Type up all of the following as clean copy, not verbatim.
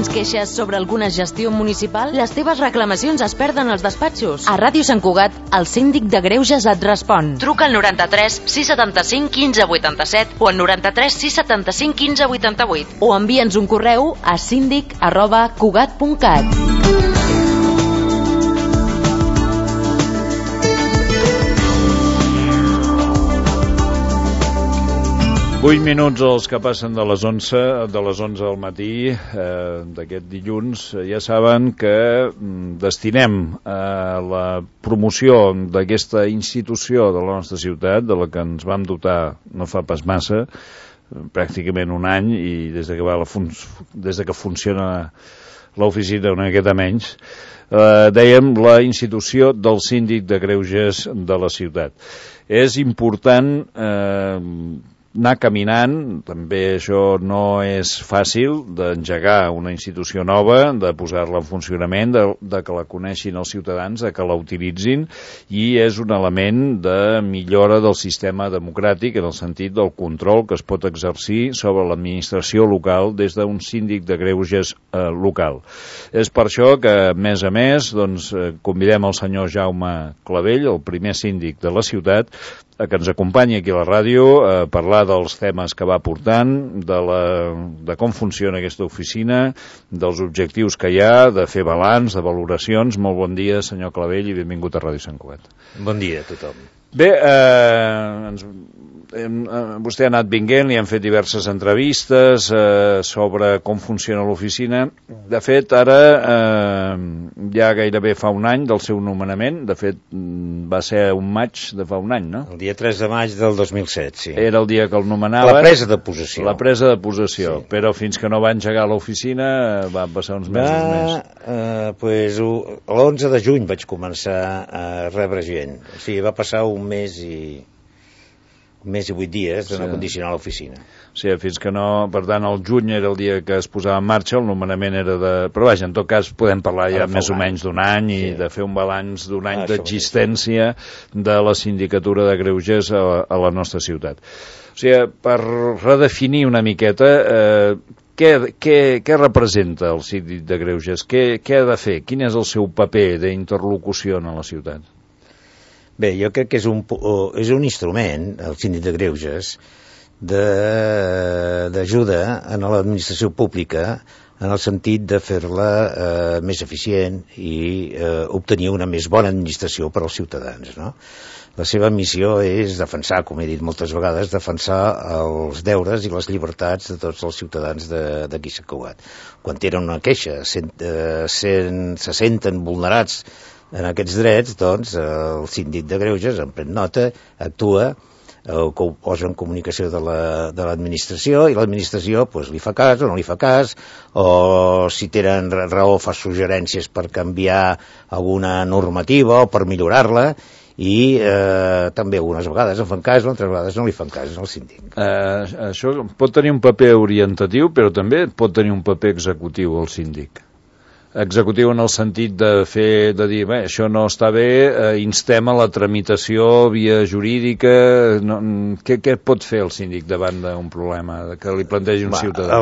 Tens queixes sobre alguna gestió municipal? Les teves reclamacions es perden als despatxos. A Ràdio Sant Cugat, el síndic de Greuges et respon. Truca al 93 675 15 87 o al 93 675 15 88 o envia'ns un correu a síndic@cugat.cat. 8 minuts els que passen de les 11 del matí d'aquest dilluns. Ja saben que destinem a la promoció d'aquesta institució de la nostra ciutat, de la que ens vam dotar no fa pas massa, pràcticament un any, i des que funciona l'oficina una miqueta menys, dèiem la institució del síndic de Greuges de la ciutat. És important anar caminant, també això no és fàcil, d'engegar una institució nova, de posar-la en funcionament, de que la coneixin els ciutadans, de que la utilitzin, i és un element de millora del sistema democràtic en el sentit del control que es pot exercir sobre l'administració local des d'un síndic de Greuges local. És per això que, a més, convidem el senyor Jaume Clavell, el primer síndic de la ciutat, que ens acompanyi aquí a la ràdio a parlar dels temes que va portant, de com funciona aquesta oficina, dels objectius que hi ha, de fer balanç, de valoracions. Molt bon dia, senyor Clavell, i benvingut a Ràdio Sant Cugat. Bon dia a tothom. Bé, vostè ha anat vinguent, li han fet diverses entrevistes sobre com funciona l'oficina. De fet, ara ja gairebé fa un any del seu nomenament. De fet, va ser un maig de fa un any, no? El dia 3 de maig del 2007, sí. Era el dia que el nomenava. La presa de possessió. La presa de possessió, sí. Però fins que no va engegar l'oficina van passar uns mesos més. L'11 de juny vaig començar a rebre gent. O sigui, va passar un mes i 8 dies de no condicionar l'oficina. Sí, fins que no... Per tant, el juny era el dia que es posava en marxa, el nomenament era de... Però vaja, en tot cas, podem parlar ja més o menys d'un any i de fer un balanç d'un any d'existència de la sindicatura de Greuges a la nostra ciutat. O sigui, per redefinir una miqueta, què representa el síndic de Greuges? Què ha de fer? Quin és el seu paper d'interlocució en la ciutat? Bé, jo crec que és un instrument, el síndic de Greuges, d'ajuda a l'administració pública en el sentit de fer-la més eficient i obtenir una més bona administració per als ciutadans, no? La seva missió és defensar, com he dit moltes vegades, defensar els deures i les llibertats de tots els ciutadans d'aquí Sant Cugat. Quan tenen una queixa, se senten vulnerats en aquests drets, doncs el síndic de Greuges en pren nota, actua, ho posa en comunicació de l'administració, i l'administració li fa cas o no li fa cas, o si tenen raó fa suggerències per canviar alguna normativa o per millorar-la, i també algunes vegades en fan cas, altres vegades no li fan cas al síndic. Això pot tenir un paper orientatiu, però també pot tenir un paper executiu el síndic. Executiu en el sentit de dir, bé, això no està bé, instem a la tramitació via jurídica. Què pot fer el síndic davant d'un problema que li plantegi un ciutadà?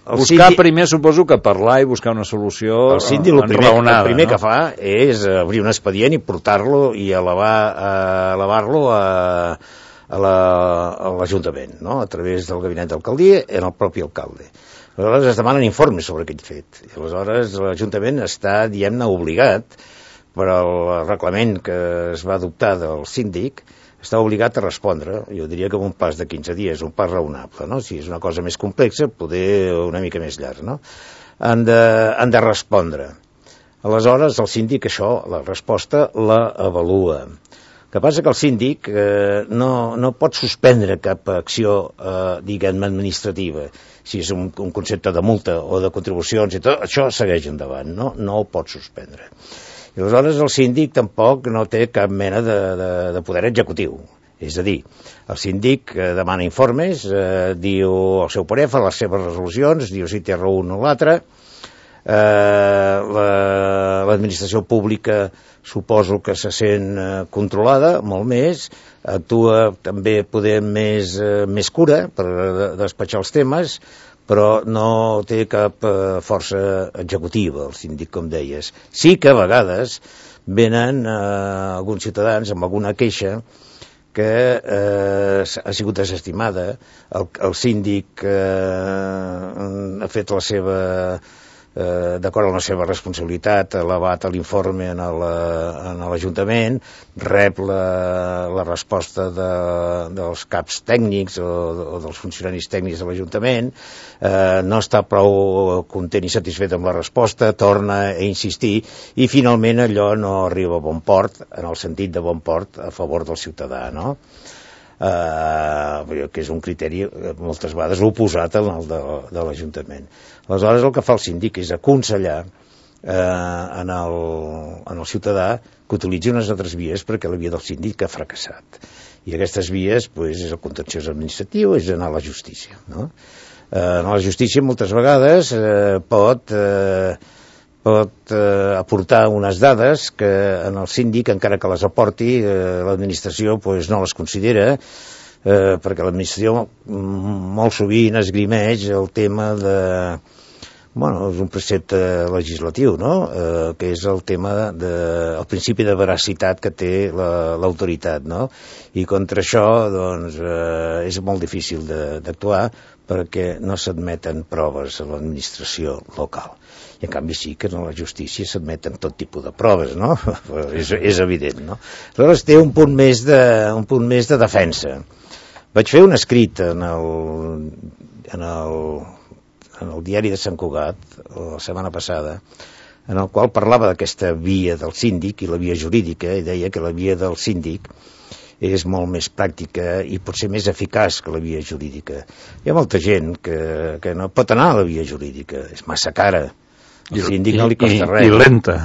Buscar primer, suposo que parlar i buscar una solució enraonada. El primer que fa és obrir un expedient i portar-lo i elevar-lo a l'Ajuntament, no? A través del gabinet d'alcaldia en el propi alcalde. Aleshores es demanen informes sobre aquell fet. I aleshores l'Ajuntament està, diguem-ne, obligat, per al reglament que es va adoptar del síndic, està obligat a respondre. Jo diria que en un pas de 15 dies, un pas raonable, no? Si és una cosa més complexa, poder una mica més llarg, no? Han de respondre. Aleshores el síndic això, la resposta, la avalua. El que passa que el síndic no pot suspendre cap acció, diguem-ne, administrativa. Si és un concepte de multa o de contribucions i tot, això segueix endavant, no ho pot suspendre. I aleshores el síndic tampoc no té cap mena de poder executiu. És a dir, el síndic demana informes, diu el seu parer, fa les seves resolucions, diu si té raó un o l'altre. L'administració pública suposo que se sent controlada molt més, actua també poder més cura per despatxar els temes, però no té cap força executiva, el síndic, com deies. Sí que a vegades venen alguns ciutadans amb alguna queixa que ha sigut desestimada, el síndic ha fet la seva, d'acord amb la seva responsabilitat, ha elevat l'informe en l'Ajuntament, rep la resposta dels caps tècnics o dels funcionaris tècnics de l'Ajuntament, no està prou content i satisfet amb la resposta, torna a insistir i finalment allò no arriba a bon port, en el sentit de bon port a favor del ciutadà, no? Que és un criteri moltes vegades oposat al de l'Ajuntament. Aleshores el que fa el síndic és aconsellar en el ciutadà que utilitzi unes altres vies perquè la via del síndic ha fracassat. I aquestes vies és el contenciós administratiu, és anar a la justícia, no? A la justícia moltes vegades pot aportar unes dades que en el síndic, encara que les aporti, l'administració no les considera, perquè l'administració molt sovint esgrimeix el tema de... és un precepte legislatiu, no? Que és el tema el principi de veracitat que té l'autoritat, no? I contra això, és molt difícil d'actuar perquè no s'admeten proves a l'administració local. I en canvi sí que en la justícia s'admeten tot tipus de proves, no? És evident, no? Aleshores té un punt més de defensa. Vaig fer un escrit en el diari de Sant Cugat la setmana passada, en el qual parlava d'aquesta via del síndic i la via jurídica, i deia que la via del síndic és molt més pràctica i potser més eficaç que la via jurídica. Hi ha molta gent que no pot anar a la via jurídica, és massa cara. El síndic no li costa res. I lenta.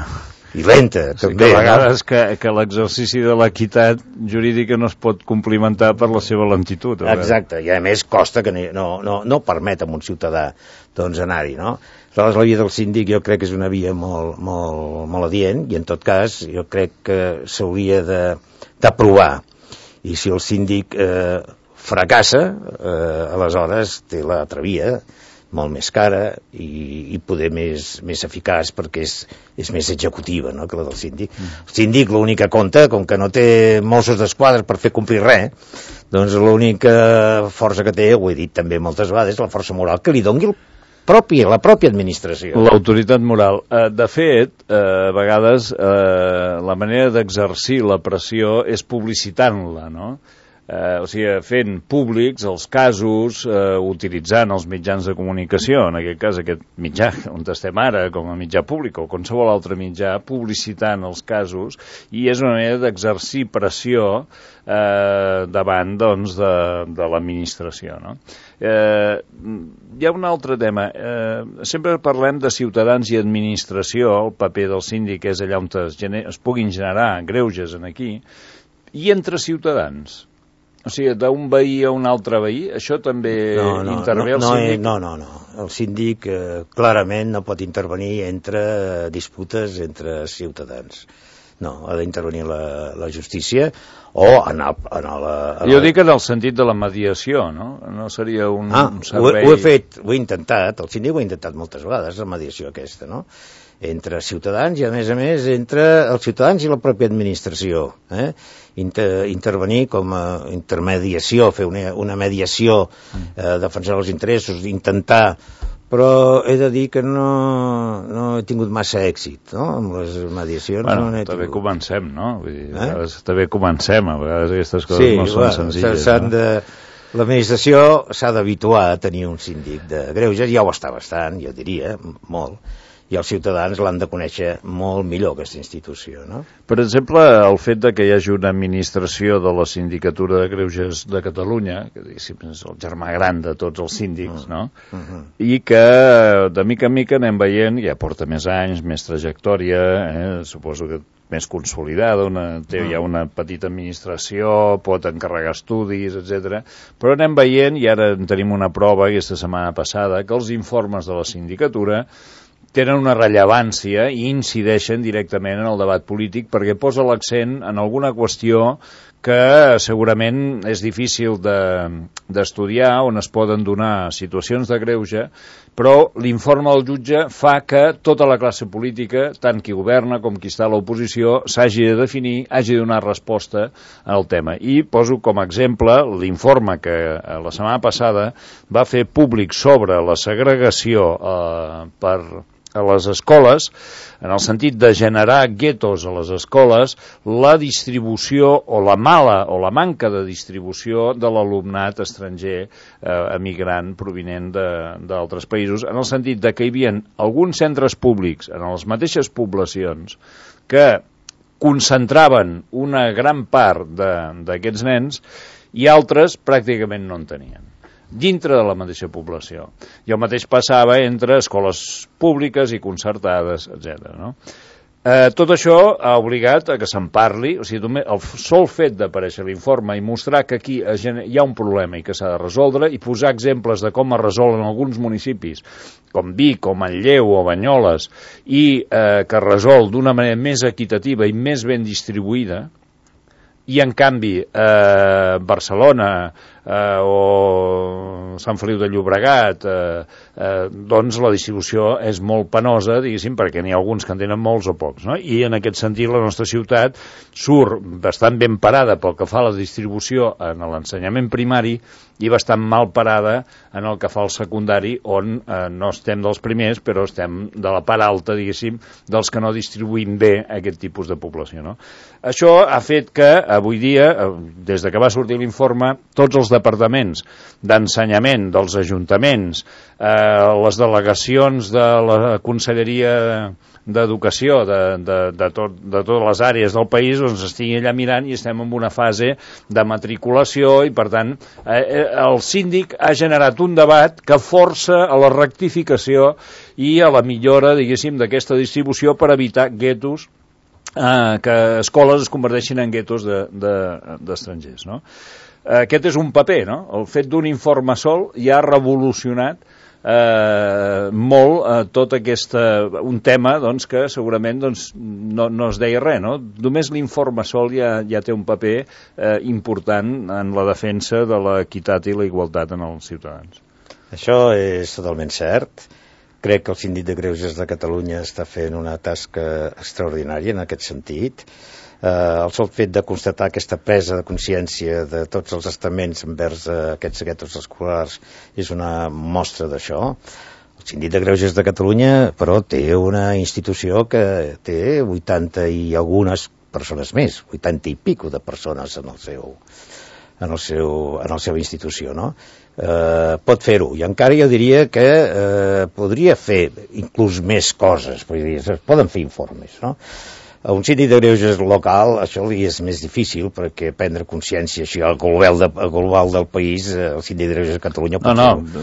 I lenta, també. Que a vegades que l'exercici de l'equitat jurídica no es pot complimentar per la seva lentitud. Exacte, i a més costa que no permet a un ciutadà anar-hi, no? Aleshores, la via del síndic jo crec que és una via molt adient, i en tot cas jo crec que s'hauria d'aprovar. I si el síndic fracassa, aleshores té l'altra via, molt més cara i poder més eficaç perquè és més executiva, no?, que la del síndic. El síndic l'únic que compta, com que no té Mossos d'Esquadra per fer complir res, doncs l'única força que té, ho he dit també moltes vegades, la força moral que li doni la pròpia administració. L'autoritat moral. De fet, a vegades la manera d'exercir la pressió és publicitant-la, no? O sigui, fent públics els casos, utilitzant els mitjans de comunicació, en aquest cas aquest mitjà on estem ara, com a mitjà públic o qualsevol altre mitjà, publicitant els casos, i és una manera d'exercir pressió davant, doncs, de l'administració, no? Hi ha un altre tema. Sempre parlem de ciutadans i administració, el paper del síndic és allà on es puguin generar greuges aquí, i entre ciutadans. O sigui, d'un veí a un altre veí, això també intervé el síndic? No. El síndic clarament no pot intervenir entre disputes entre ciutadans. No, ha d'intervenir la justícia o anar a la... Jo dic en el sentit de la mediació, no? No seria un servei... Ho he intentat, el síndic ho ha intentat moltes vegades, la mediació aquesta, no? Entre ciutadans i, a més, entre els ciutadans i la pròpia administració. Intervenir com a intermediació, fer una mediació, defensar els interessos, intentar... Però he de dir que no he tingut massa èxit, no?, amb les mediacions. Bueno, també comencem, no? Vull dir, també comencem, a vegades aquestes coses no són senzilles. L'administració s'ha d'habituar a tenir un síndic de greuges, ja ho està bastant, jo diria, molt, i els ciutadans l'han de conèixer molt millor, aquesta institució, no? Per exemple, el fet de que hi hagi una administració de la Sindicatura de Greuges de Catalunya, que diguéssim és el germà gran de tots els síndics, no? I que de mica en mica anem veient, ja porta més anys, més trajectòria, suposo que més consolidada, hi ha una petita administració, pot encarregar estudis, etc. Però anem veient, i ara en tenim una prova aquesta setmana passada, que els informes de la sindicatura tenen una rellevància i incideixen directament en el debat polític perquè posa l'accent en alguna qüestió que segurament és difícil d'estudiar, on es poden donar situacions de greuge, però l'informe del jutge fa que tota la classe política, tant qui governa com qui està a l'oposició, s'hagi de definir, hagi de donar resposta al tema. I poso com a exemple l'informe que la setmana passada va fer públic sobre la segregació a les escoles, en el sentit de generar guetos a les escoles, la distribució o la mala o la manca de distribució de l'alumnat estranger emigrant provinent d'altres països, en el sentit de que hi havia alguns centres públics en les mateixes poblacions que concentraven una gran part d'aquests nens i altres pràcticament no en tenien, dintre de la mateixa població. I el mateix passava entre escoles públiques i concertades, etc. No? Tot això ha obligat a que se'n parli, o sigui, el sol fet d'aparèixer l'informe i mostrar que aquí hi ha un problema i que s'ha de resoldre, i posar exemples de com es resolen alguns municipis, com Vic, o Manlleu, o Banyoles, i que es resol d'una manera més equitativa i més ben distribuïda, i en canvi Barcelona o Sant Feliu de Llobregat, doncs la distribució és molt penosa, diguéssim, perquè n'hi ha alguns que en tenen molts o pocs, no? I en aquest sentit la nostra ciutat surt bastant ben parada pel que fa a la distribució en l'ensenyament primari i bastant mal parada en el que fa al secundari, on no estem dels primers, però estem de la part alta, diguéssim, dels que no distribuïm bé aquest tipus de població, no? Això ha fet que avui dia, des de que va sortir l'informe, tots els departaments d'ensenyament dels ajuntaments, les delegacions de la Conselleria d'Educació de totes les àrees del país, doncs estiguin allà mirant, i estem en una fase de matriculació, i per tant el síndic ha generat un debat que força a la rectificació i a la millora, diguéssim, d'aquesta distribució per evitar guetos, que escoles es converteixin en guetos d'estrangers, no? Aquest és un paper, no? El fet d'un informe sol ja ha revolucionat molt tot un tema, doncs, que segurament no es deia res, no? Només l'informe sol ja té un paper important en la defensa de l'equitat i la igualtat en els ciutadans. Això és totalment cert. Crec que el Síndic de Greuges de Catalunya està fent una tasca extraordinària en aquest sentit. El sol fet de constatar aquesta presa de consciència de tots els estaments envers aquests guetos escolars és una mostra d'això. El Síndic de Greuges de Catalunya, però, té una institució que té 80 i algunes persones més, 80 i pico de persones en la seva institució, no? Pot fer-ho, i encara jo diria que podria fer inclús més coses, es poden fer informes, no? A un síndic de greuges local això li és més difícil, perquè prendre consciència així al global del país, el síndic de greuges de Catalunya...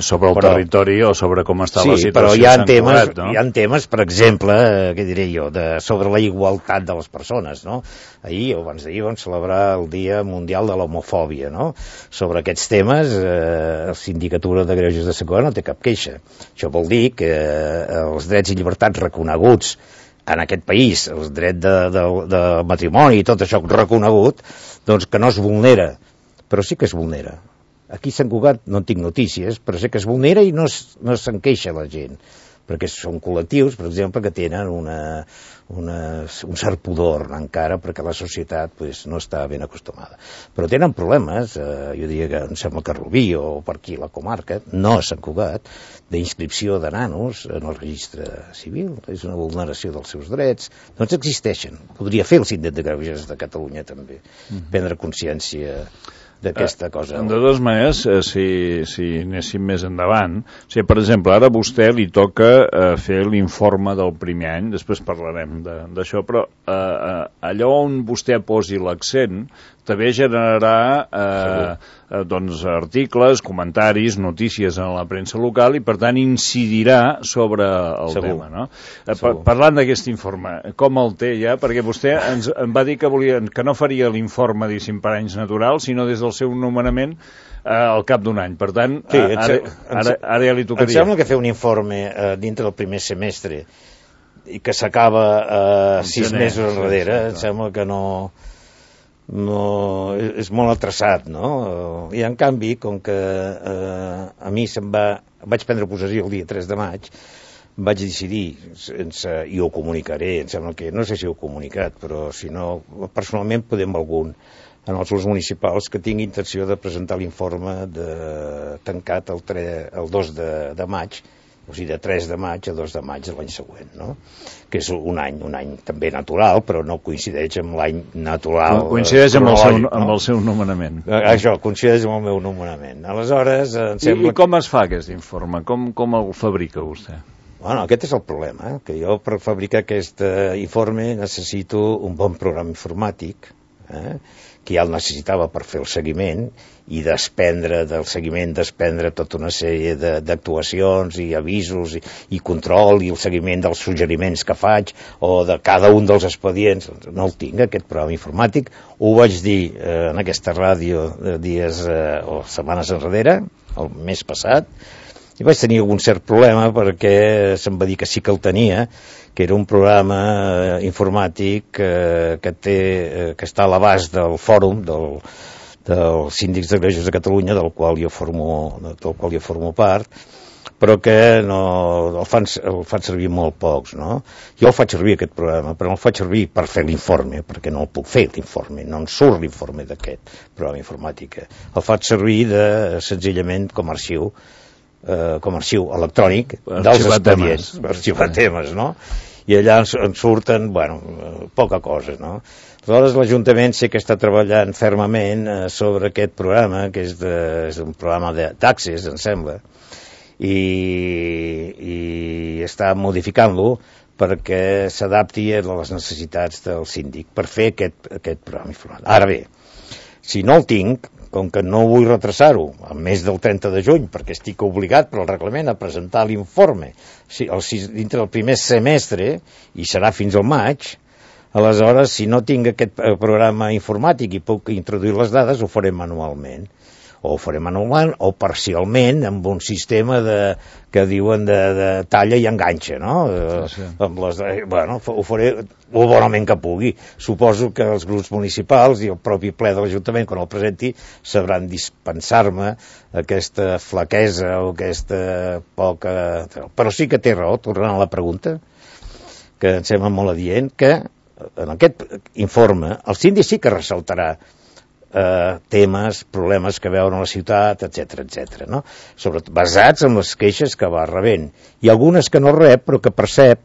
sobre el territori o sobre com està la situació. Sí, però hi ha temes, per exemple, què diré jo, sobre la igualtat de les persones, no? Ahir o abans d'ahir vam celebrar el Dia Mundial de l'Homofòbia, no? Sobre aquests temes, la Sindicatura de Greuges de Segona no té cap queixa. Això vol dir que els drets i llibertats reconeguts en aquest país, el dret de matrimoni i tot això reconegut, doncs que no es vulnera, però sí que es vulnera. Aquí a Sant Cugat no en tinc notícies, però sé que es vulnera i no se'n queixa la gent, perquè són col·lectius, per exemple, que tenen un cert pudor encara, perquè la societat no està ben acostumada. Però tenen problemes, jo diria que em sembla que a Rubí o per aquí la comarca, no a Sant Cugat, d'inscripció de nanos en el registre civil, és una vulneració dels seus drets, doncs existeixen. Podria fer el Síndic de Greuges de Catalunya també, prendre consciència d'aquesta cosa. De totes maneres, si anéssim més endavant, per exemple, ara a vostè li toca fer l'informe del primer any, després parlarem d'això, però allò on vostè posi l'accent també generarà articles, comentaris, notícies en la premsa local, i per tant incidirà sobre el tema, no? Parlant d'aquest informe, com el té ja? Perquè vostè em va dir que no faria l'informe, diguéssim, per anys naturals, sinó des del seu nomenament al cap d'un any. Per tant, ara ja li tocaria. Em sembla que fer un informe dintre del primer semestre i que s'acaba 6 mesos enrere, em sembla que no és molt atrasat, no? I en canvi, com que a mi vaig prendre possessió el dia 3 de maig, vaig decidir, i ho comunicaré, em sembla que, no sé si ho he comunicat, però si no, personalment podem algun, en els grups municipals, que tingui intenció de presentar l'informe tancat el 2 de maig, o sigui, de 3 de maig a 2 de maig de l'any següent, no? Que és un any també natural, però no coincideix amb l'any natural. Coincideix amb el seu nomenament. Això, coincideix amb el meu nomenament. Aleshores, em sembla... I com es fa aquest informe? Com el fabrica vostè? Bueno, aquest és el problema, que jo per fabricar aquest informe necessito un bon programa informàtic, que ja el necessitava per fer el seguiment i del seguiment desprendre tota una sèrie d'actuacions i avisos i control i el seguiment dels suggeriments que faig o de cada un dels expedients. No el tinc, aquest programa informàtic. Ho vaig dir en aquesta ràdio dies o setmanes enrere, el mes passat, i vaig tenir algun cert problema perquè se'm va dir que sí que el tenia, que era un programa informàtic que està a l'abast del fòrum dels síndics de greuges de Catalunya, del qual jo formo part, però que el fan servir molt pocs, no? Jo el faig servir, aquest programa, però no el faig servir per fer l'informe, perquè no el puc fer, l'informe, no en surt l'informe d'aquest programa informàtic. El faig servir senzillament com a arxiu electrònic dels expedients, per arxivar temes, no? I allà en surten, poca cosa, no? Aleshores, l'Ajuntament sé que està treballant fermament sobre aquest programa, que és un programa d'accés, em sembla, i està modificant-lo perquè s'adapti a les necessitats del síndic per fer aquest programa informàtic. Ara bé, si no el tinc, com que no vull retrasar-ho al mes del 30 de juny, perquè estic obligat per al reglament a presentar l'informe dintre del primer semestre, i serà fins al maig, aleshores, si no tinc aquest programa informàtic i puc introduir les dades, ho farem manualment. O ho farem manualment o parcialment amb un sistema que diuen de talla i enganxa, no? Sí. Ho faré el bonament que pugui. Suposo que els grups municipals i el propi ple de l'Ajuntament, quan el presenti, sabran dispensar-me aquesta flaquesa o aquesta poca... Però sí que té raó, tornant a la pregunta, que em sembla molt adient, que en aquest informe el síndic sí que ressaltarà temes, problemes que veuen a la ciutat, etc., no? Sobretot basats en les queixes que va rebent. I algunes que no rep, però que percep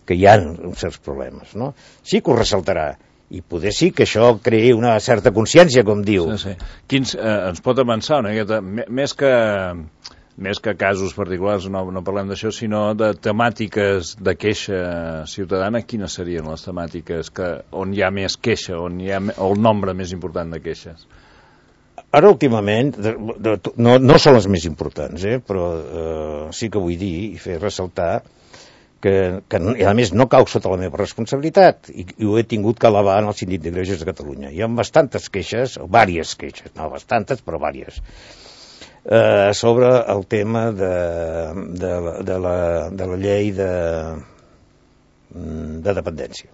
que hi ha uns certs problemes, no? Sí que ho ressaltarà. I poder sí que això creï una certa consciència, com diu. Sí. Ens pot avançar una miqueta, més que casos particulars, no parlem d'això, sinó de temàtiques de queixa ciutadana. Quines serien les temàtiques on hi ha més queixa, on hi ha el nombre més important de queixes? Ara, últimament, no són les més importants, però sí que vull dir i fer ressaltar que a més no cau sota la meva responsabilitat i ho he tingut que elevar en el Síndic de Greuges de Catalunya. Hi ha bastantes queixes, o diverses queixes, no bastantes, però diverses, sobre el tema de la llei de dependència.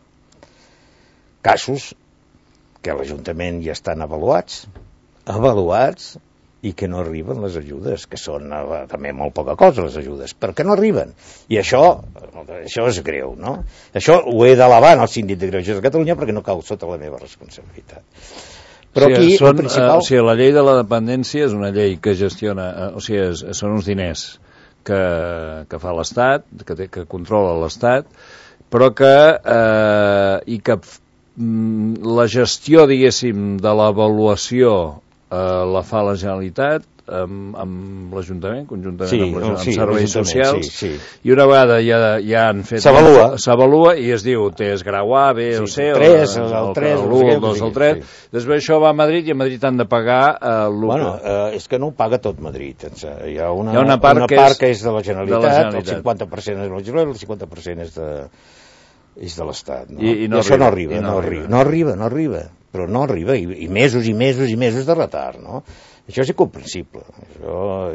Casos que a l'Ajuntament ja estan avaluats i que no arriben les ajudes, que són també molt poca cosa les ajudes, però que no arriben. I això és greu, no? Això ho he d'elevar al Síndic de Greuges de Catalunya perquè no cau sota la meva responsabilitat. Però aquí, el principal... la llei de la dependència és una llei que gestiona, són uns diners que fa l'Estat, que controla l'Estat, però que la gestió, diguéssim, de l'avaluació la fa la Generalitat amb l'Ajuntament, conjuntament amb serveis socials, i una vegada ja han fet... S'avalua i es diu, és grau A, B o C, el 3, el 1, el 2, el 3, després això va a Madrid i a Madrid han de pagar és que no ho paga tot Madrid. Hi ha una part que és de la Generalitat, el 50% és de la Generalitat, el 50% és de l'Estat. I això no arriba, però no arriba, i mesos i mesos i mesos de retard, no? Això és incomprensible.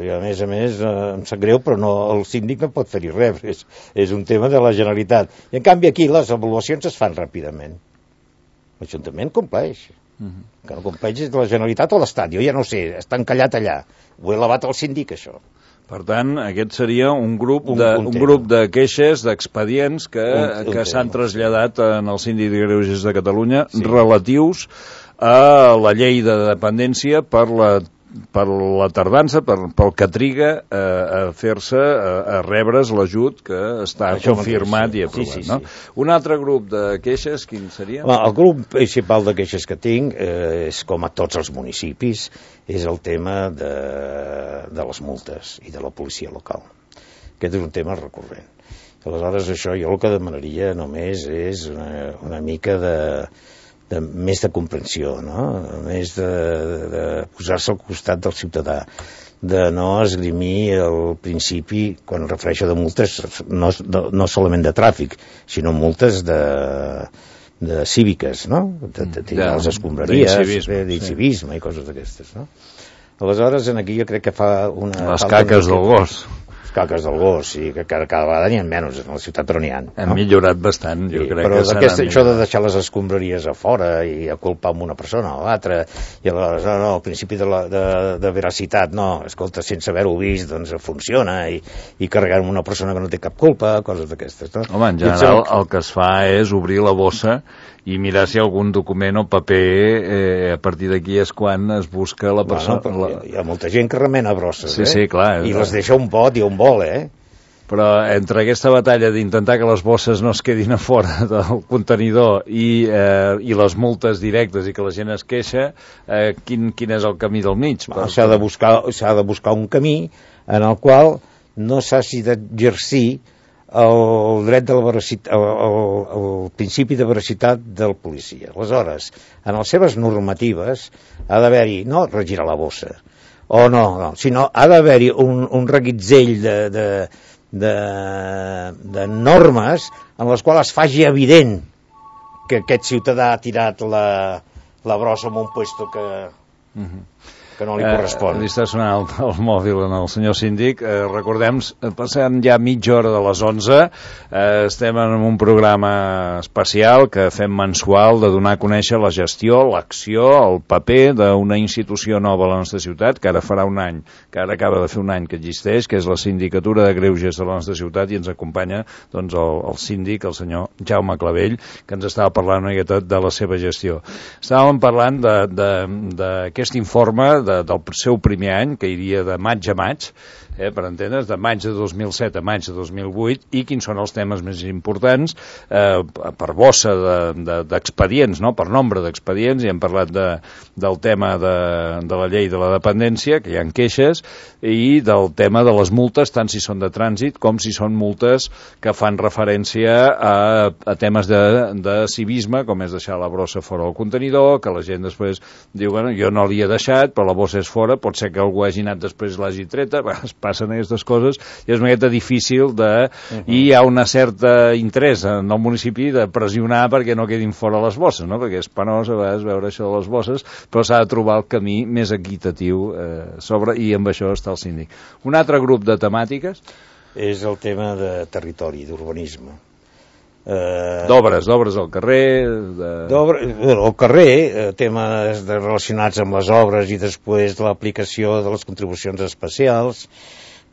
I a més, em sap greu, però el síndic no pot fer-hi res. És un tema de la Generalitat. I en canvi aquí les avaluacions es fan ràpidament. L'Ajuntament compleix. Que no compleix és de la Generalitat o l'Estat, jo ja no sé, està encallat allà. Ho he elevat al síndic, això. Per tant, aquest seria un grup de queixes, d'expedients que s'han traslladat en el Síndic de Greuges de Catalunya relatius a la llei de dependència per la tardança, pel que triga a fer-se, a rebre's l'ajut que està confirmat i aprovat. No? Un altre grup de queixes, quin seria? El grup principal de queixes que tinc és, com a tots els municipis, és el tema de les multes i de la policia local. Aquest és un tema recurrent. Aleshores, això jo el que demanaria només és una mica més de comprensió, no? Més de posar-se al costat del ciutadà, de no esgrimir el principi, quan em refereixo de multes, no solament de tràfic, sinó multes de cíviques, no? De tirar les escombraries, d'incivisme i coses d'aquestes, no? Aleshores, aquí jo crec que fa una... Les caques del gos. Caques del gos, sí, que cada vegada n'hi ha menys a la ciutat, però n'hi ha. Hem millorat bastant, jo crec. Però això de deixar les escombraries a fora i a culpar amb una persona o l'altra, i aleshores, no, el principi de veracitat, no, escolta, sense haver-ho vist, doncs funciona, i carregar amb una persona que no té cap culpa, coses d'aquestes, no? Home, en general, el que es fa és obrir la bossa i mirar si algun document o paper, a partir d'aquí és quan es busca la persona... Bueno, hi ha molta gent que remena brosses, sí, clar. I les deixa un pot i on vol, Però entre aquesta batalla d'intentar que les bosses no es quedin a fora del contenidor i les multes directes i que la gent es queixa, quin és el camí del mig? S'ha de buscar un camí en el qual no s'hagi d'exercir el dret de la veracitat, el principi de veracitat del policia. Aleshores, en les seves normatives ha d'haver-hi, no regirar la bossa, sinó ha d'haver-hi un reguitzell de normes en les quals es faci evident que aquest ciutadà ha tirat la brossa en un puesto que no li correspon. Li està sonant el mòbil en el senyor síndic. Recordem, passem ja mitja hora de les 11. Estem en un programa especial que fem mensual de donar a conèixer la gestió, l'acció, el paper d'una institució nova a la nostra ciutat, que ara farà un any, que ara acaba de fer un any que existeix, que és la Sindicatura de Greuges de la nostra ciutat, i ens acompanya doncs, el síndic, el senyor Jaume Clavell, que ens estava parlant una miqueta de la seva gestió. Estàvem parlant d'aquest informe del seu primer any, que iria de maig a maig, per entendre's, de maig de 2007 a maig de 2008, i quins són els temes més importants per bossa d'expedients, no? Per nombre d'expedients, i hem parlat del tema de la llei de la dependència, que hi ha queixes, i del tema de les multes, tant si són de trànsit com si són multes que fan referència a temes de civisme, com és deixar la brossa fora del contenidor, que la gent després diu, bueno, jo no l'hi he deixat, però la bossa és fora, pot ser que algú hagi anat després l'hagi treta, passen aquestes coses, i és una miqueta difícil i hi ha una certa interès en el municipi de pressionar perquè no quedin fora les bosses, no? Perquè és penós a vegades veure això de les bosses, però s'ha de trobar el camí més equitatiu i amb això està el síndic. Un altre grup de temàtiques és el tema de territori, d'urbanisme. D'obres al carrer... Al carrer, temes relacionats amb les obres i després l'aplicació de les contribucions especials,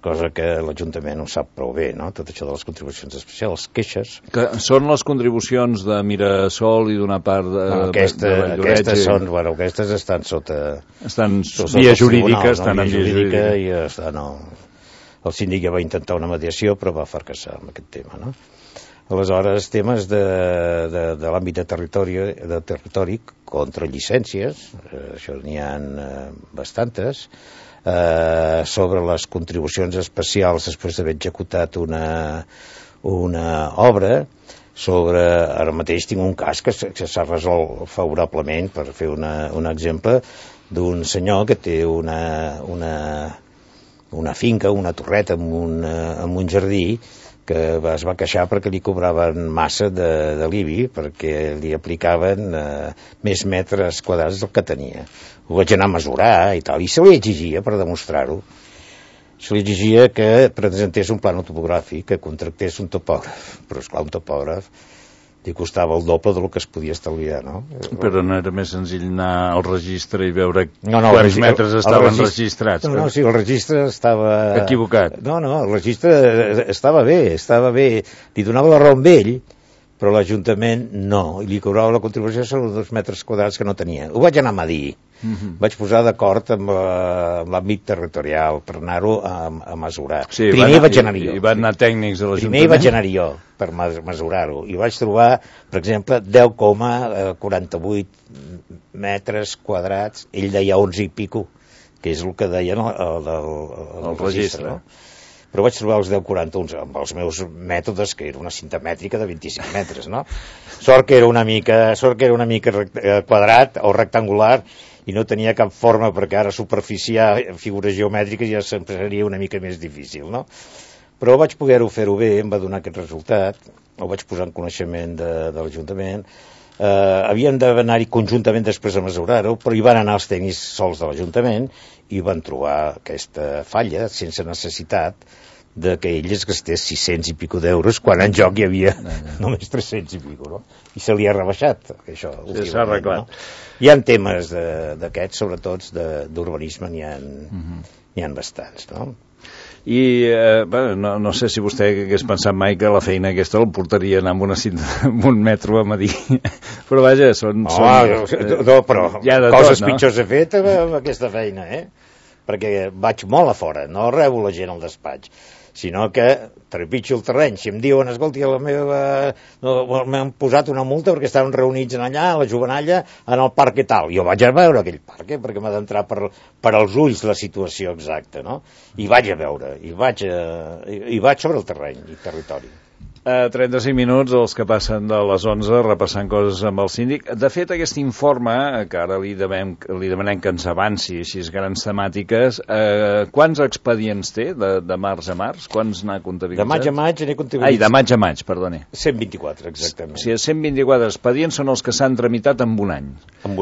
cosa que l'Ajuntament ho sap prou bé, no? Tot això de les contribucions especials, queixes. Que són les contribucions de Mirasol i d'una part de aquestes són, bueno, aquestes estan sota... Estan via jurídica, estan en via jurídica. I el síndic ja va intentar una mediació, però va fracassar amb aquest tema, no? Aleshores, temes de l'àmbit de territori contra llicències, això n'hi ha bastantes, sobre les contribucions especials després d'haver executat una obra, ara mateix tinc un cas que s'ha resolt favorablement, per fer un exemple, d'un senyor que té una finca, una torreta amb un jardí, que es va queixar perquè li cobraven massa de l'IBI, perquè li aplicaven més metres quadrats del que tenia. Ho vaig anar a mesurar i tal, i se li exigia, per demostrar-ho, se li exigia que presentés un plànol topogràfic, que contractés un topògraf, però esclar, un topògraf li costava el doble del que es podia estalviar, no? Però no era més senzill anar al registre i veure quants metres estaven registrats? No, sí, el registre estava... Equivocat. No, el registre estava bé, li donava la raó amb ell, però l'Ajuntament no, i li cobrava la contribució sobre els 2 metres quadrats que no tenia. Ho vaig anar a medir, vaig posar d'acord amb l'àmbit territorial per anar-ho a mesurar. Sí, primer vaig anar jo. I van anar tècnics de l'Ajuntament. Primer vaig anar jo per mesurar-ho, i vaig trobar, per exemple, 10,48 metres quadrats, ell deia 11 i pico, que és el que deien el registre, no? Però vaig trobar els 10,41 amb els meus mètodes, que era una cinta mètrica de 25 metres, no? Sort que era una mica quadrat o rectangular i no tenia cap forma, perquè ara superficiar figures geomètriques ja sempre seria una mica més difícil, no? Però vaig poder-ho fer-ho bé, em va donar aquest resultat, ho vaig posar en coneixement de l'Ajuntament. Havien d'anar-hi conjuntament després a mesurar-ho, però hi van anar els tècnics sols de l'Ajuntament i van trobar aquesta falla sense necessitat de que ell es gastés 600 i pico d'euros quan en joc hi havia només 300 i pico, no? I se li ha rebaixat, això. Sí, s'ha arreglat. No? Hi ha temes d'aquests, sobretot d'urbanisme, n'hi ha bastants, no? I no sé si vostè hagués pensat mai que la feina aquesta el portaria a anar amb una cinta, amb un metro a medir, però vaja, però coses pitjors he fet amb aquesta feina, perquè vaig molt a fora, no rebo la gent al despatx, sinó que trepitjo el terreny. Si em diuen, escolti, m'han posat una multa perquè estaven reunits allà, a la Jovenalla, en el parc i tal. Jo vaig a veure aquell parc, perquè m'ha d'entrar per als ulls la situació exacta, no? I vaig a veure, i vaig sobre el terreny i territori. 35 minuts els que passen de les 11 repassant coses amb el síndic. De fet, aquest informe, que ara li demanem que ens avanci així grans temàtiques, quants expedients té de març a març? Quants n'ha comptabilitzat? De maig a maig n'he comptabilitzat. De maig a maig, perdoni. 124, exactament. O sigui, 124 expedients són els que s'han tramitat en un any.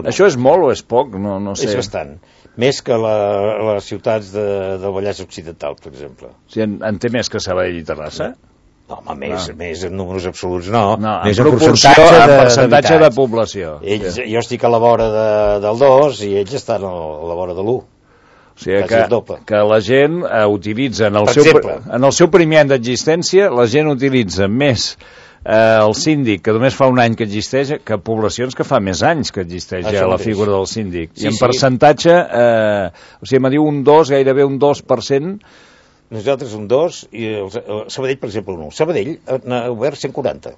Això és molt o és poc? No sé. És bastant. Més que les ciutats del Vallès Occidental, per exemple. O sigui, en té més que Sabadell i Terrassa? No, home, més en números absoluts no. Més en percentatge de població. Jo estic a la vora del 2 i ells estan a la vora de l'1. O sigui que la gent utilitza, en el seu primer any d'existència, la gent utilitza més el síndic, que només fa un any que existeix, que poblacions que fa més anys que existeix ja la figura del síndic. I en percentatge, o sigui, me diu un 2, gairebé un 2%. Nosaltres un 2 i Sabadell, per exemple, un 1. Sabadell n'ha obert 140.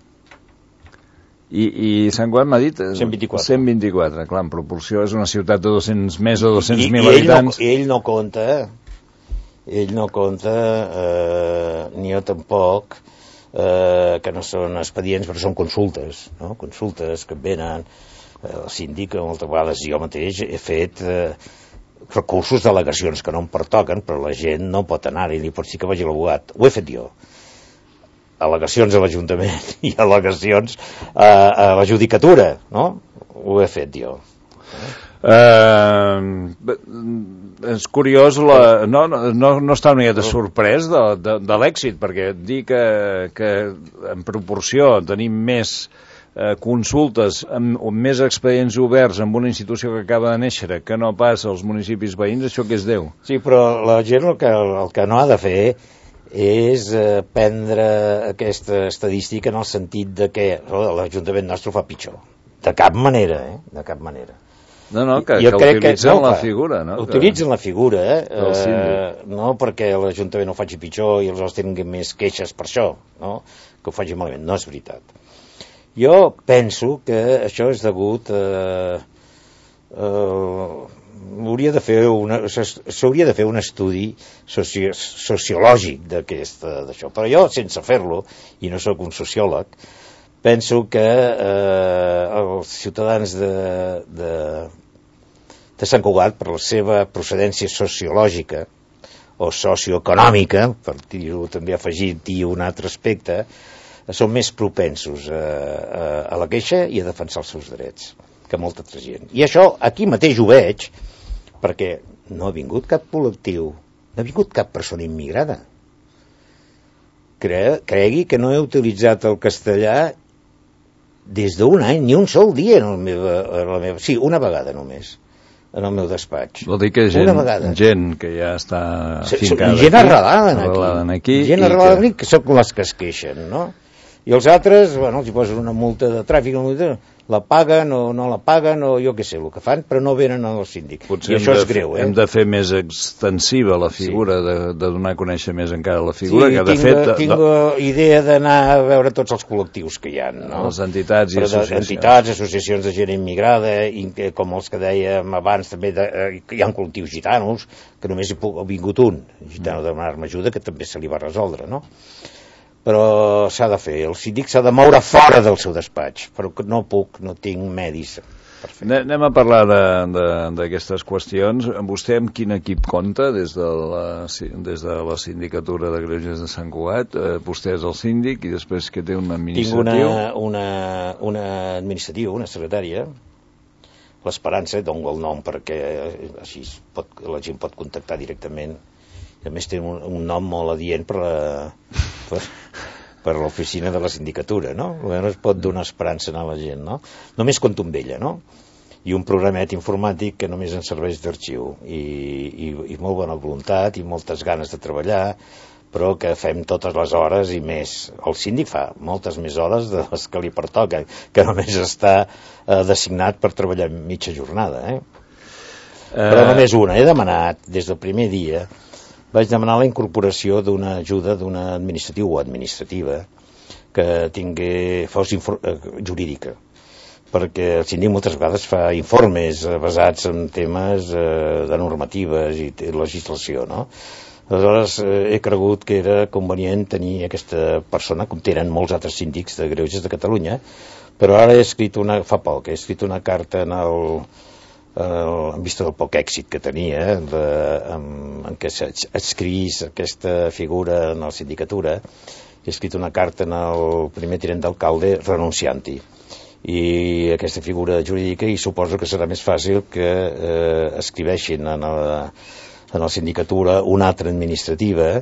I Sant Cugat m'ha dit? 124. 124, clar, en proporció és una ciutat de més de 200.000 habitants. I ell no compta, ni jo tampoc, que no són expedients, però són consultes, no? Consultes que venen, el síndic, moltes vegades jo mateix he fet recursos d'al·legacions que no em pertoquen, però la gent no pot anar-hi, ni pot dir que vagi a l'abogat. Ho he fet jo. Al·legacions a l'Ajuntament i al·legacions a la judicatura, no? Ho he fet jo. És curiós, no està una miqueta sorprès de l'èxit, perquè dir que en proporció tenim més consultes amb més expedients oberts amb una institució que acaba de néixer que no pas als municipis veïns, això què és Déu? Sí, però la gent el que no ha de fer és prendre aquesta estadística en el sentit de que l'Ajuntament nostre ho fa pitjor. De cap manera, de cap manera. No, que utilitzen la figura, no? Utilitzen la figura, no perquè l'Ajuntament ho faci pitjor i els tinguin més queixes per això, no? Que ho faci malament, no és veritat. Jo penso que això és degut s'hauria de fer un estudi sociològic d'això, però jo, sense fer-lo, i no sóc un sociòleg, penso que els ciutadans de Sant Cugat, per la seva procedència sociològica o socioeconòmica, per dir-ho també afegir-hi un altre aspecte, són més propensos a la queixa i a defensar els seus drets que molta altra gent. I això aquí mateix ho veig, perquè no ha vingut cap col·lectiu, no ha vingut cap persona immigrada. Cregui que no he utilitzat el castellà des d'un any, ni un sol dia sí, una vegada només, en el meu despatx. Vol dir que gent que ja està fincada gent arrelada aquí. Gent arrelada aquí, que són les que es queixen, no? I els altres, bueno, els hi posen una multa de tràfic, la paguen o no la paguen, o jo què sé, el que fan, però no venen al síndic. Potser i això és greu, hem de fer més extensiva la figura, de donar a conèixer més encara la figura, que de fet... Tinc idea d'anar a veure tots els col·lectius que hi ha, no? Les entitats i associacions. Entitats, associacions de gent immigrada, com els que dèiem abans, també hi ha col·lectius gitanos, que només ha vingut un gitano a demanar-me ajuda, que també se li va resoldre, no? Però s'ha de fer, el síndic s'ha de moure fora del seu despatx, però no puc, no tinc medis per fer. Anem a parlar d'aquestes qüestions. Vostè amb quin equip compta des de la sindicatura de Greuges de Sant Cugat? Vostè és el síndic i després que té un administratiu? Tinc una administrativa, una secretària, l'Esperança, dono el nom perquè així la gent pot contactar directament. A més té un nom molt adient per l'oficina de la sindicatura, no? Almenys es pot donar esperança a la gent, no? Només compto amb ella, no? I un programet informàtic que només ens serveix d'arxiu i molt bona voluntat i moltes ganes de treballar, però que fem totes les hores i més. El síndic fa moltes més hores de les que li pertoca, que només està designat per treballar mitja jornada, Però només una. He demanat des del primer dia, vaig demanar la incorporació d'una ajuda d'una administratiu o administrativa que fos jurídica, perquè el síndic moltes vegades fa informes basats en temes de normatives i legislació, no? Aleshores he cregut que era convenient tenir aquesta persona, com tenen molts altres síndics de Greuges de Catalunya, però ara fa poc, he escrit una carta en vista del poc èxit que tenia en què s'adscrivís aquesta figura en la sindicatura. He escrit una carta al primer tinent d'alcalde renunciant-hi, i aquesta figura jurídica, i suposo que serà més fàcil que escriveixin en la sindicatura una altra administrativa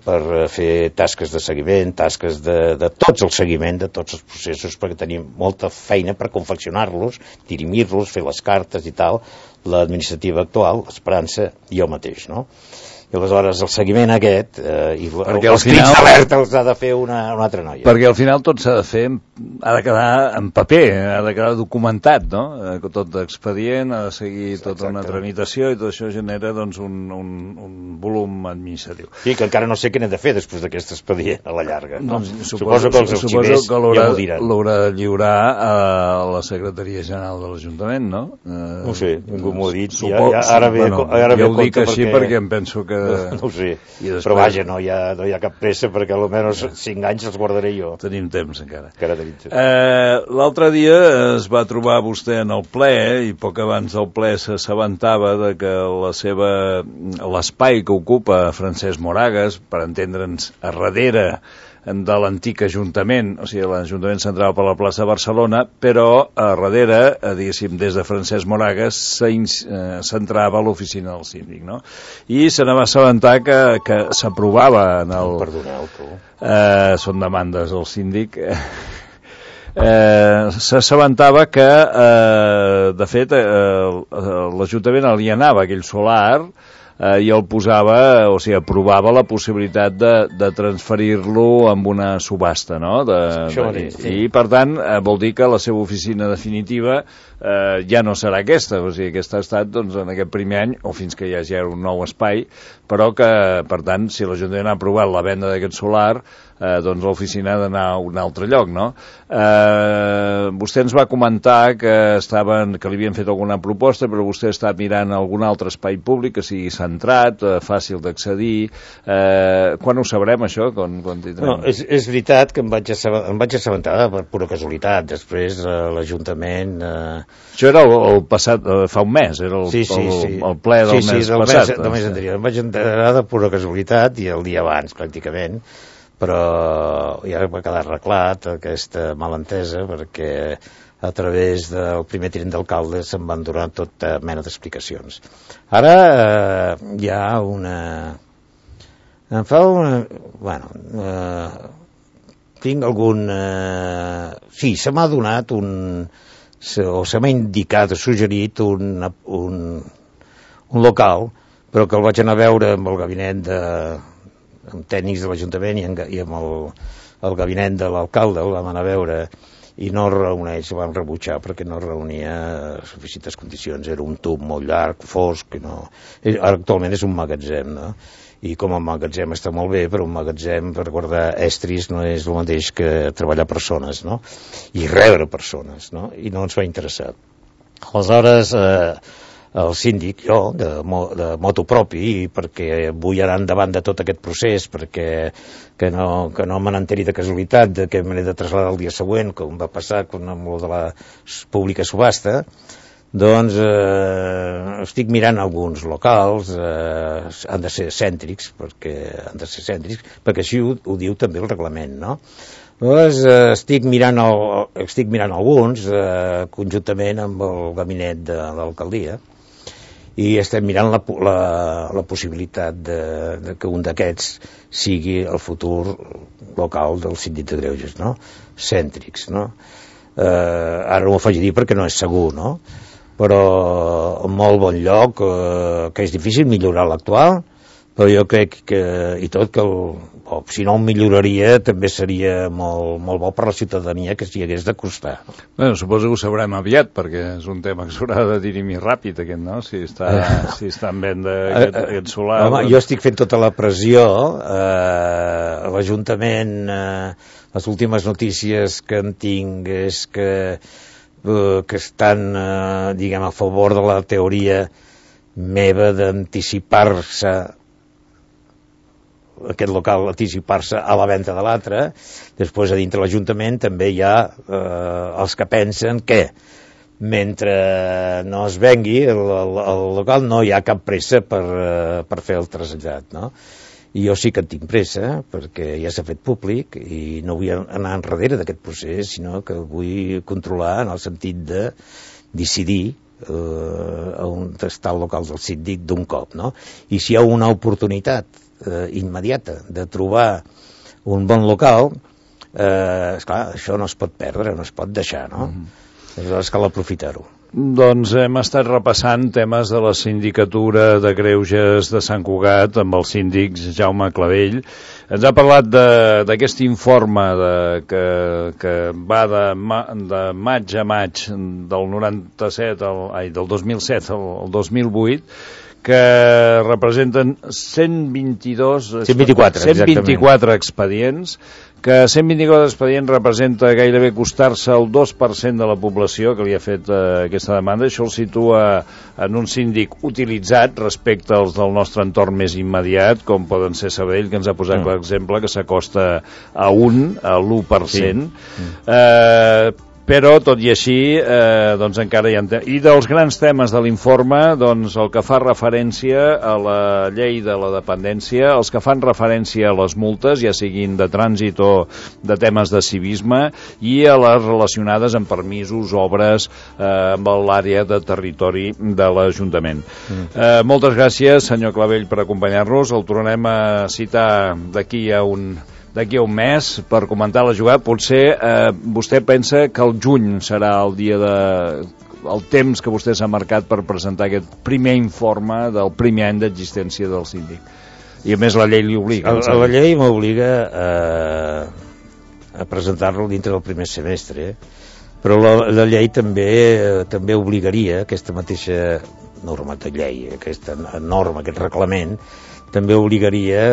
per fer tasques de seguiment, tasques de tots el seguiment de tots els processos, perquè tenim molta feina per confeccionar-los, dirimir-los, fer les cartes i tal, l'administrativa actual, l'Esperança i jo mateix, no? I aleshores el seguiment aquest i els crits d'alerta els ha de fer una altra noia. Perquè al final tot s'ha de fer, ha de quedar en paper, ha de quedar documentat, no? Tot d'expedient, ha de seguir tota una tramitació, i tot això genera doncs un volum administratiu. Sí, que encara no sé què n'he de fer després d'aquest expedient a la llarga. Suposo que els arxivers ja m'ho diran. L'haurà de lliurar a la Secretaria General de l'Ajuntament, no? No sé, ningú m'ho ha dit. Ara ja ho dic així perquè em penso que... No ho sé, però vaja, no hi ha cap pressa, perquè almenys 5 anys els guardaré jo. Tenim temps encara. L'altre dia es va trobar vostè en el ple, i poc abans del ple s'assabentava de que l'espai que ocupa Francesc Moragas, per entendre'ns, a darrere de l'antic Ajuntament, o sigui, l'Ajuntament central per la plaça de Barcelona, però a darrere, diguéssim, des de Francesc Moragas s'entrava a l'oficina del síndic, no? I se n'va assabentar que s'aprovava en el... Perdoneu, tu. Són demandes del síndic. S'assabentava que, de fet, l'Ajuntament alienava aquell solar i el posava, o sigui, aprovava la possibilitat de transferir-lo amb una subhasta, no? I, per tant, vol dir que la seva oficina definitiva ja no serà aquesta, o sigui, aquesta ha estat doncs, en aquest primer any, o fins que hi hagi un nou espai, però que, per tant, si l'Ajuntament ha aprovat la venda d'aquest solar, doncs l'oficina ha d'anar a un altre lloc, no? Vostè ens va comentar que li havien fet alguna proposta, però vostè està mirant algun altre espai públic que sigui centrat, fàcil d'accedir. Quan ho sabrem, això? No, és veritat que em vaig assabentar per pura casualitat. Després l'Ajuntament... Això era el passat, fa un mes, era el ple del mes passat. Sí, del mes anterior. Em vaig enterar de pura casualitat, i el dia abans, pràcticament, però ja va quedar arreglat aquesta malentesa, perquè a través del primer tinent d'alcalde se'n van donar tota mena d'explicacions. Ara hi ha tinc algun... sí, se m'ha donat o se m'ha indicat o suggerit un local, però que el vaig anar a veure amb el gabinet amb tècnics de l'Ajuntament i amb el gabinet de l'alcalde, el vam anar a veure i no reuneix, el vam rebutjar perquè no reunia suficients condicions, era un tub molt llarg, fosc, actualment és un magatzem, no? I com a magatzem està molt bé, però un magatzem per guardar estris no és el mateix que treballar persones, no? I rebre persones, no? I no ens va interessar. Aleshores, el síndic, jo, de motu propi, perquè vull anar endavant de tot aquest procés, perquè que no me n'enteri de casualitat, que me n'he de traslladar el dia següent, com va passar amb lo de la pública subhasta, doncs estic mirant alguns locals, han de ser cèntrics, perquè així ho diu també el reglament, no? Llavors estic mirant alguns conjuntament amb el gabinet de l'alcaldia i estem mirant la possibilitat de que un d'aquests sigui el futur local del síndic de Greuges, no? Cèntrics, no? Ara no ho faig dir perquè no és segur, no? Però en molt bon lloc, que és difícil millorar l'actual, però jo crec que, i tot que si no ho milloraria també seria molt bo per la ciutadania que s'hi hagués d'acostar. Bueno, suposo que ho sabrem aviat, perquè és un tema que s'haurà de dirimir ràpid, aquest, no? Si està en venda aquest solar... Home, jo estic fent tota la pressió, l'Ajuntament, les últimes notícies que en tinc és que estan, diguem, a favor de la teoria meva d'anticipar-se aquest local, anticipar-se a la venda de l'altre. Després a dintre l'Ajuntament també hi ha els que pensen que mentre no es vengui el local no hi ha cap pressa per fer el trasllat, no? I jo sí que en tinc pressa perquè ja s'ha fet públic i no vull anar enrere d'aquest procés, sinó que vull controlar en el sentit de decidir on està el local del síndic d'un cop, no? I si hi ha una oportunitat immediata de trobar un bon local, esclar, això no es pot perdre, no es pot deixar, no? Aleshores cal aprofitar-ho. Doncs hem estat repassant temes de la sindicatura de Greuges de Sant Cugat amb el síndic Jaume Clavell. Ens ha parlat d'aquest informe que va de maig a maig del 2007 al 2008, que representen 124 expedients, que 124 expedients representa gairebé costar-se el 2% de la població que li ha fet aquesta demanda. Això el situa en un síndic utilitzat respecte als del nostre entorn més immediat, com poden ser Sabadell, que ens ha posat l'exemple, que s'acosta a l'1%. Sí. Però, tot i així, doncs encara hi ha... I dels grans temes de l'informe, doncs el que fa referència a la llei de la dependència, els que fan referència a les multes, ja siguin de trànsit o de temes de civisme, i a les relacionades amb permisos, obres, amb l'àrea de territori de l'Ajuntament. Moltes gràcies, senyor Clavell, per acompanyar-nos. El tornem a citar d'aquí a un mes per comentar la jugada. Potser vostè pensa que el juny serà el dia el temps que vostè s'ha marcat per presentar aquest primer informe del primer any d'existència del síndic. I a més la llei li obliga. La llei m'obliga a presentar-lo dintre del primer semestre, però la llei també obligaria, aquesta mateixa norma de llei, aquesta norma, aquest reglament, també obligaria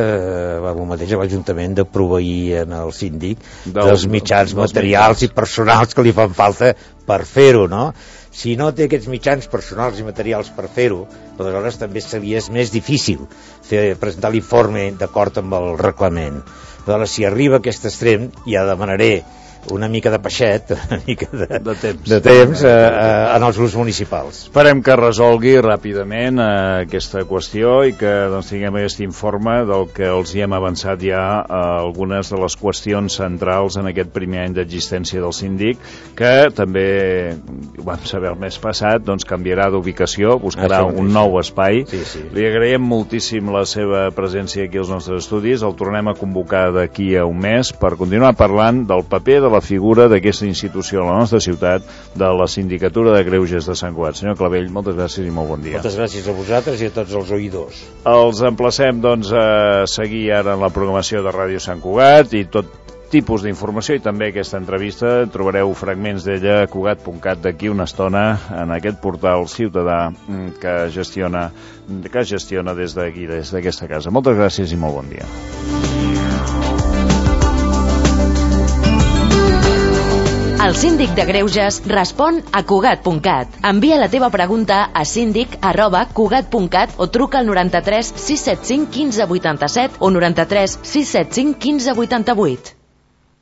el mateix a l'Ajuntament de proveir en el síndic dels mitjans materials i personals que li fan falta per fer-ho, no? Si no té aquests mitjans personals i materials per fer-ho, aleshores també seria més difícil presentar l'informe d'acord amb el reglament. Aleshores, si arriba a aquest extrem, ja demanaré una mica de peixet, una mica de temps en els grups municipals. Esperem que resolgui ràpidament aquesta qüestió i que doncs, tinguem aquest informe del que els hi hem avançat ja algunes de les qüestions centrals en aquest primer any d'existència del síndic, que també, ho vam saber el mes passat, doncs canviarà d'ubicació, buscarà un nou espai. Sí. Li agraïm moltíssim la seva presència aquí als nostres estudis. El tornem a convocar d'aquí a un mes per continuar parlant del paper de la figura d'aquesta institució a la nostra ciutat, de la Sindicatura de Greuges de Sant Cugat. Senyor Clavell, moltes gràcies i molt bon dia. Moltes gràcies a vosaltres i a tots els oïdors. Els emplacem, doncs, a seguir ara en la programació de Ràdio Sant Cugat i tot tipus d'informació, i també aquesta entrevista trobareu fragments d'ella a cugat.cat d'aquí una estona en aquest portal ciutadà que gestiona des d'aquí, des d'aquesta casa. Moltes gràcies i molt bon dia. El síndic de Greuges respon a cugat.cat. Envia la teva pregunta a síndic@cugat.cat o truca al 93 675 15 87 o 93 675 15 88.